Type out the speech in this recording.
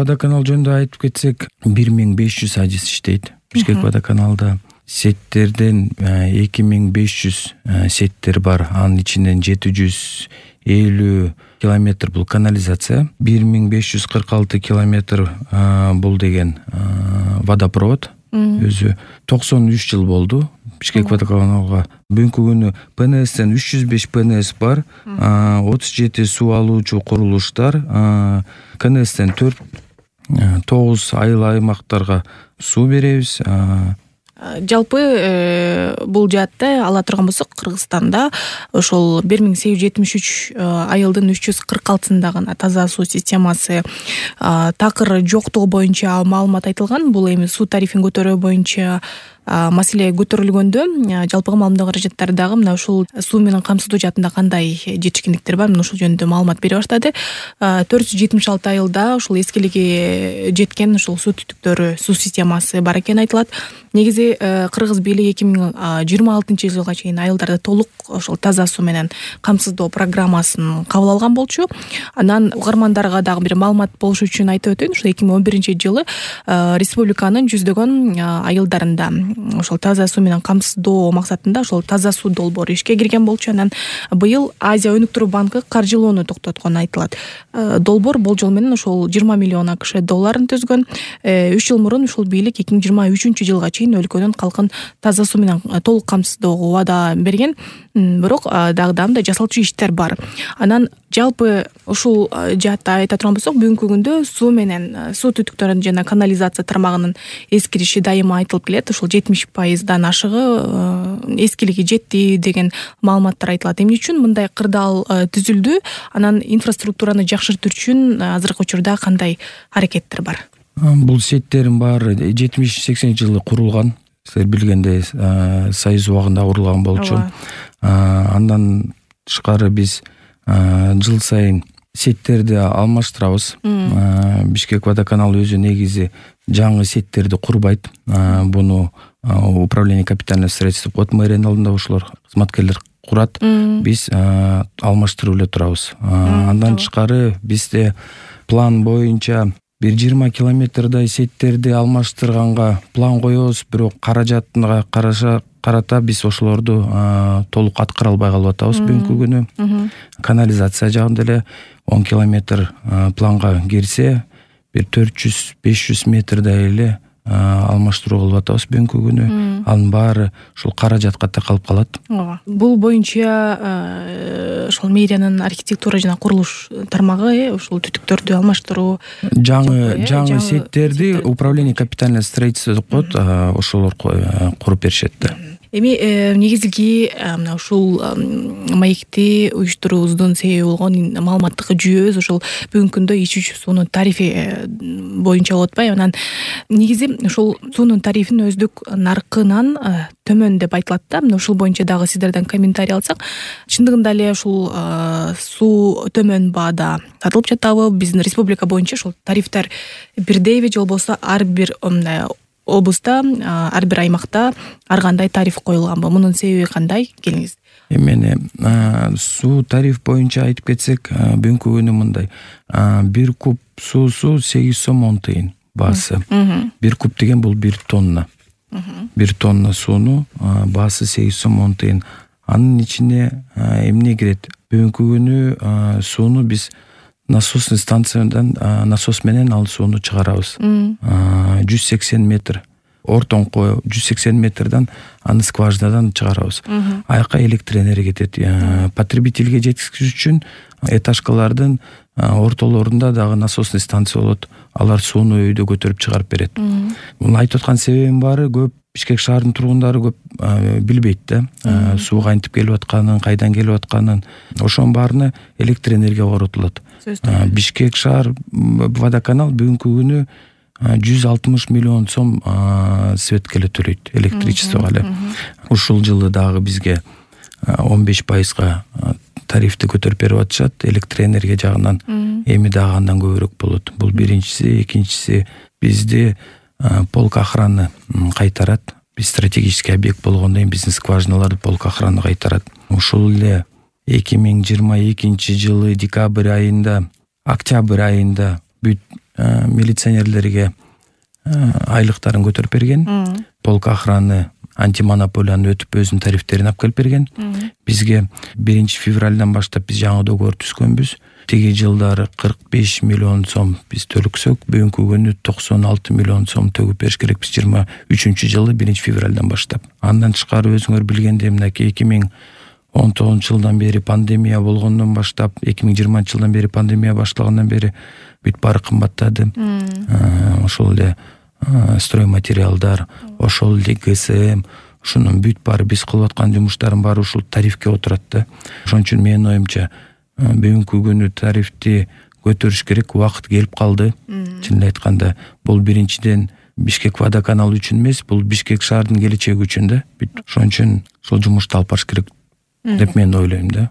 Водоканал жөнүндө айтып кетсек, 1500 адис иштейт Бишкек водоканалда. Сеттерден 2500 сеттер бар. Анын ичинен 750 километр бул канализация, 1546 километр бул деген водопровод. Өзү 93 жыл болду Бишкек водоканалга. Бүгүнкү күнү ПНСтен 305 ПНС бар, 37 суу алуучу курулуштар, КНСтен 9 айыл аймактарга суу беребиз. Жалпы бул жаатта ала турган болсок, Кыргызстанда ошол 1873 айылдын 346-сында гана таза суу системасы такыр жоктугу боюнча маалымат айтылган. Бул эми суу тарифин көтөрүү боюнча маселе көтөрүлгөндө жалпыга маалымдоо каражаттары дагы мына ушул суу менен камсыздоо жаатында кандай жетишкиндиктер бар, мына ушул жөнүндө маалымат бере баштады. 476 айылда ушул эскилиги жеткен ушул суу түтүктөрү, суу системасы бар экени айтылат. Негизи кыргыз бийлиги 2026-жылга чейин айылдарды толук ошол таза суу менен камсыздоо программасын кабыл алган болчу. Анан угармандарга дагы бир маалымат болуш үчүн айтып өтөйүн. Ушул 2011-жылы республиканын жүздөгөн айылдарында ошол таза суу менен камсыздоо максатында ошол таза суу долбоору ишке кирген болчу. Анан быйыл Азия өнүктүрүү банкы каржылоону токтоткону айтылат. Долбоор болжол менен ошол 20 миллион АКШ долларын түзгөн. 3 жыл мурун ушул бийлик 2023-жылга чейин өлкөнүн калкын таза суу менен толук камсыздоого убада берген. Бирок дагы жасалчу иштер бар. Анан жалпы ушул жаатта айта турган болсок, бүгүнкү күндө суу менен суу түтүктөрүнүн жана канализация тармагынын эскириши дайыма айтылып келет. Ушул 70%дан ашыгы эскилиги жетти деген маалыматтар айтылат. Эмне үчүн мындай кырдаал түзүлдү? Анан инфраструктураны жакшыртуу үчүн азыркы учурда кандай аракеттер бар? Бул сеттердин баары 70-80 жылы курулган. Силер билгендей, Союз убагында курулган болчу. Андан тышкары биз жыл сайын сеттерди алмаштырабыз. Бишкек водоканал өзү негизи жаңы сеттерди курбайт. Буну управление капитального строительства код мэринин алдында ушулар кызматкерлер курат. Биз алмаштырып эле турабыз. Андан тышкары бизде план боюнча 20 километрдай сеттерди алмаштырганга план коебуз, бирок каражатына карата биз ошолорду толук аткара албай калып атабыз бүгүнкү күнү. Канализация жагында эле 10 километр планга кирсе, бир 400-500 метрдай эле алмаштыруу кылып атабыз бүгүнкү күнү. Анын баары ушул каражатка такалып калат. Бул боюнча ошол мэриянын архитектура жана курулуш тармагы ушул түтүктөрдү алмаштыруу, жаңы сеттерди управление капитального строительства деп коет, ошолор куруп беришет да. Эми негизги мына ушул маекти уюштуруубуздун себеби болгон маалыматтык жүйөбүз ушул бүгүнкү күндө ичүүчү суунун тарифи боюнча болуп атпайбы? Анан негизи ушул суунун тарифин өздүк наркынан төмөн деп айтылат да. Мына ушул боюнча дагы сиздерден комментарий алсак, чындыгында эле ушул суу төмөн баада сатылып жатабы? Биздин республика боюнча ушул тарифтер бирдейби же болбосо ар бир облуста, ар бир аймакта ар кандай тариф коюлганбы? Мунун себеби кандай? Келиңиз. Эмне суу тариф боюнча айтып кетсек, бүгүнкү күнү мындай. 1 куб суусу 8 сом 10 тыйын баасы. 1 куб деген бул 1 тонна. 1 тонна сууну баасы 8 сом 10 тыйын. Анын ичине эмне кирет? Бүгүнкү күнү сууну биз насосный станциядан насос менен ал сууну чыгарабыз. 180 метр. Ортоңко 180 метрдан аны скважинадан чыгарабыз. Аяка электр энергия кетет. Потребительге жеткизиш үчүн этажкалардын ортолорунда дагы насосный станция болот. Алар сууну өйдө көтөрүп чыгарып берет. Муну айтып аткан себебим баары, көп Бишкек шаарынын тургундары көп билбейт да. Суу кантип келип атканын, кайдан келип атканын. Ошонун баарына электр энергия коротулат. Бишкек шаар водоканал бүгүнкү күнү 160 миллион сом светке эле төлөйт, электричествого эле. Ушул жылы дагы бизге 15%га тарифти көтөрүп берип атышат электр энергия жагынан. Эми дагы андан көбүрөөк болот. Бул биринчиси, экинчиси бизди полк охраны кайтарат. Биз стратегический объект болгондон кийин биздин скважиналарды полк охраны кайтарат. Ушул эле 2022 жылы декабрь айында, октябрь айында бүт милиционерлерге айлыктарын көтөрүп берген, полк охраны антимонополияны өтүп өзүнүн тарифтерин алып келип берген. Бизге 1 февралдан баштап биз жаңы договор түзгөнбүз. Теги жылдары 45 миллион сом биз төлөксөк, бүгүнкү күнү 96 миллион сом төгүп бериш керекпиз 23-жылы 1 февралдан баштап. Андан тышкары өзүңөр билгендей мынакей 2019-жылдан бери пандемия болгондон баштап, 2020-жылдан бери пандемия башталгандан бери бүт баары кымбаттады. Ошол эле стройматериалдар, ошол эле ГСМ, ушунун бүт баары биз кылып аткан жумуштардын баары ушул тарифке отурат да. Ошон үчүн менин оюмча бүгүнкү күнү тарифти көтөрүш керек, убакыт келип калды. Чынын айтканда, бул биринчиден Бишкек водоканалы үчүн эмес, бул Бишкек шаардын келечеги үчүн да. Ошон үчүн ушул жумушту алып барыш керек деп мен ойлойм да.